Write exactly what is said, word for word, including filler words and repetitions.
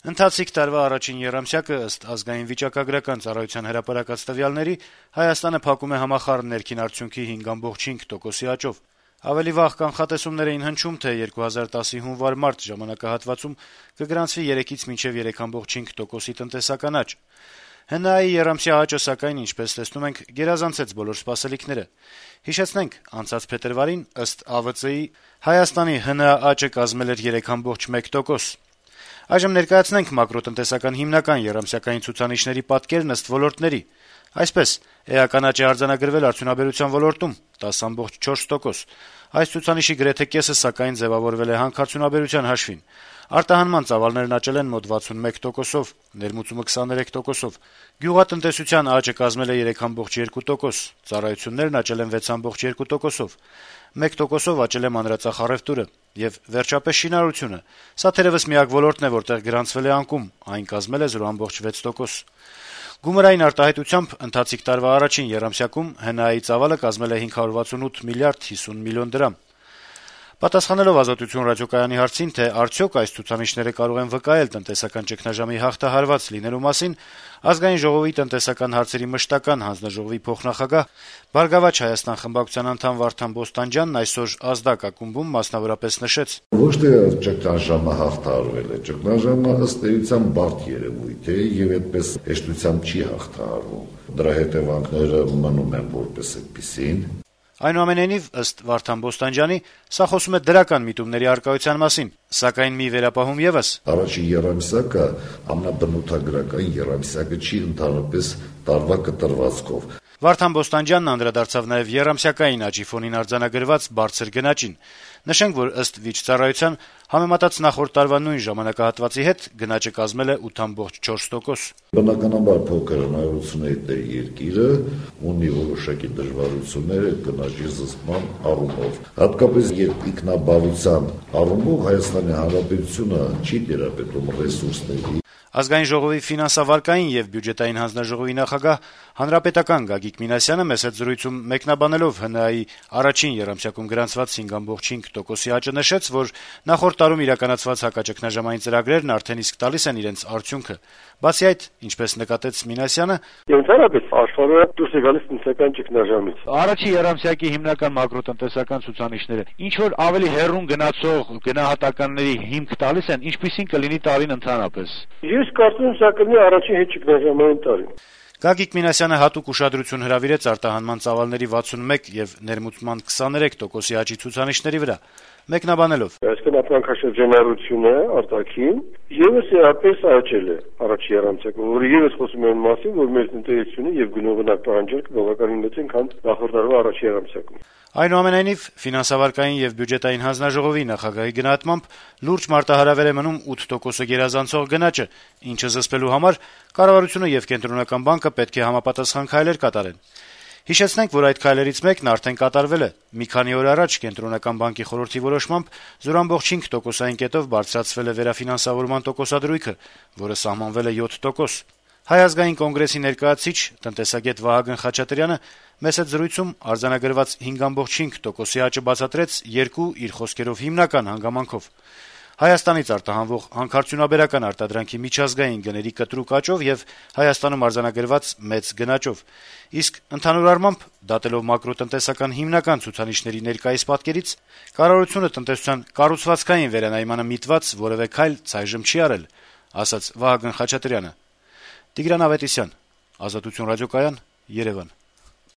Ընթացիկ տարվա առաջին եռամսյակը ըստ ազգային վիճակագրական ծառայության հրապարակած տվյալների Հայաստանը փակում է համախառն ներքին արդյունքի հինգ կoma հինգ տոկոսի աճով։ Ավելի վաղ կանխատեսումներ էին հնչում, թե երկու հազար տասի հունվար-մարտ ժամանակահատվածում կգրանցվի երեքից մինչև երեք կoma հինգ տոկոսի տնտեսական աճ։ ՀՆԱ-ի եռամսյա աճը, սակայն, ինչպես տեսնում ենք, գերազանցեց բոլոր սպասելիքները։ Հիշեցնենք, անցած փետրվարին, ըստ Ա V Ծ-ի, Հայաստանի ՀՆԱ աճը կազմել էր երեք կoma մեկ տոկոս։ Այժմ ներկայացնենք մակրոտնտեսական հիմնական եռամսյակային ցուցանիշների պատկերն ըստ ոլորտների։ Այսպես, էական աճ է արձանագրվել արդյունաբերության ոլորտում տասը կoma չորս տոկոս։ Այս ցուցանիշի գրեթե կեսը, սակայն, ձեւավորվել է հանքարդյունաբերության հաշվին։ Արտահանման ծավալներն աճել են մոտ վաթսունմեկ տոկոսով, ներմուծումը քսաներեք տոկոսով։ Գյուղատնտեսության աճը կազմել է երեք կoma երկու տոկոս, ծառայություններն աճել են վեց կoma երկու տոկոսով, մեկ տոկոսով աճել է մանրածախ առևտուրը եւ վերջապես շինարարությունը։ Սա թերեւս միակ ոլորտն է, որտեղ գրանցվել է անկում, այն կազմել է զրո կoma վեց տոկոս։ Գումարային արտահայտությամբ ընթացիկ տարվա առաջին եռամսյակում ՀՆԱ-ի ծավալը կազմել է հինգ հարյուր վաթսունութ միլիարդ հիսուն միլիոն դրամ։ Պատասխանելով «Ազատություն» ռադիոկայանի հարցին, թե արդյոք այս ցուցանիշները կարող են վկայել տնտեսական ճգնաժամի հաղթահարված լինելու մասին, Ազգային ժողովի տնտեսական հարցերի մշտական հանձնաժողովի փոխնախագահ, «Բարգավաճ Հայաստան» խմբակցության անդամ Վարդան Բոստանջյանն այսօր «Ազդակ» ակումբում մասնավորապես նշեց. «Ոչ թե ճգնաժամը հաղթահարվել է, ճգնաժամը ըստ էության բարդ երևույթ է եւ այդպես հեշտությամբ չի հաղթահարվում։ Դրա հետեւանքները մնում են որպես այդպիսին»։ Այնուամենայնիվ, ըստ Վարդան Բոստանջյանի, սա խոսում է դրական միտումների առկայության մասին, սակայն մի վերապահում եւս. «Առաջին եռամսյակը ամենաբնութագրական եռամսյակը չի ընդհանրապես տարվա կտրվածքով»։ Վարդան Բոստանջյանն անդրադարձավ նաեւ եռամսյակային աճի ֆոնին արձանագրված բարձր գնաճին։ Նշենք, որ ըստ վիճծառայության, համեմատած նախորդ տարվա նույն ժամանակահատվածի հետ գնաճը կազմել է ութ կoma չորս տոկոս։ Բնականաբար փոքր հնարավորությունների տեր երկիրը ունի որոշակի դժվարություններ գնաճի զսպման առումով։ Հատկապես երբ ինքնաբավության առումով Հայաստանի Հանրապետությունը չի տիրապետում ռեսուրսների։ Ազգային ժողովի ֆինանսավարկային եւ բյուջետային հանձնաժողովի նախագահ հանրապետական Գագիկ Մինասյանը մեծ հետ զրույցում մեկնաբանելով ՀՆԱ-ի առաջին եռամսյակում գրանցված հինգ կoma հինգ տոկոսի աճը նշեց, որ նախորդ տարում իրականացված հակաճգնաժամային ծրագրերն արդեն իսկ տալիս են իրենց արդյունքը։ Բացի այդ, ինչպես նկատեց Մինասյանը, ընդհանրապես աշխարհը դուրս է գալիս տնտեսական ճգնաժամից։ Առաջին եռամսյակի հիմնական մակրոտնտեսական ցուցանիշները ինչ որ ավելի հեռուն գնացող գնահատականների հիմք տալիս են, ինչպիսին կլինի տարին ընդհանրապես։ Ես կարծում եմ, սա կլինի առաջին հետ ճգնաժամային տարին։ Գագիկ Մինասյանը հատուկ ուշադրություն հրավիրեց արտահանման ծավալների վաթսունմեկ եւ ներմուծման քսաներեք տոկոսի աճի ցուցանիշների վրա, մեկնաբանելով. Այսինքն ապրանքաշրջանառությունը արտաքին եւս էապես աճել է առաջին եռամսյակում, որը եւս խոսում է այն մասին, որ մեր տնտեսությունը եւ գնողանակ պահանջարկը բավականին մեծ են, քան նախորդ տարվա առաջին եռամսյակում։ Այնուամենայնիվ, ֆինանսավարկային եւ բյուջետային հանձնաժողովի նախագահի գնահատմամբ լուրջ մարտահրավեր է մնում ութ տոկոսը գերազանցող գնաճը, ինչը զսպելու համար կառավարությունը եւ Կենտրոնական բանկը պետք է համապատասխան քայլեր կատարեն։ Հիշեցնենք, որ այդ քայլերից մեկն արդեն կատարվել է։ Մի քանի օր առաջ Կենտրոնական բանկի խորհրդի որոշմամբ զրո կoma հինգ տոկոսային կետով բարձրացվել է վերաֆինանսավորման տոկոսադրույքը, որը սահմանվել է յոթ տոկոս։ Հայ ազգային կոնգրեսի ներկայացուցիչ տնտեսագետ Վահագն Խաչատրյանը մեծ հետ զրույցում արձանագրված հինգ կoma հինգ տոկոսի աճը բացատրեց երկու իր խոսքերով հիմնական հանգամանքով. Հայաստանից արտահանվող հանքարդյունաբերական արտադրանքի միջազգային գների կտրուկ աճով եւ Հայաստանում արձանագրված մեծ գնաճով։ Իսկ ընդհանուր առմամբ, դատելով մակրոտնտեսական հիմնական ցուցանիշների ներկայիս պատկերից, կառավարությունը տնտեսության կառուցվածքային վերանայմանը միտված որեւէ քայլ ցայժմ չի արել, ասաց Վահագն Խաչատրյանը։ Տիգրան Ավետիսյան, Ազատություն ռադիոկայան, Երևան։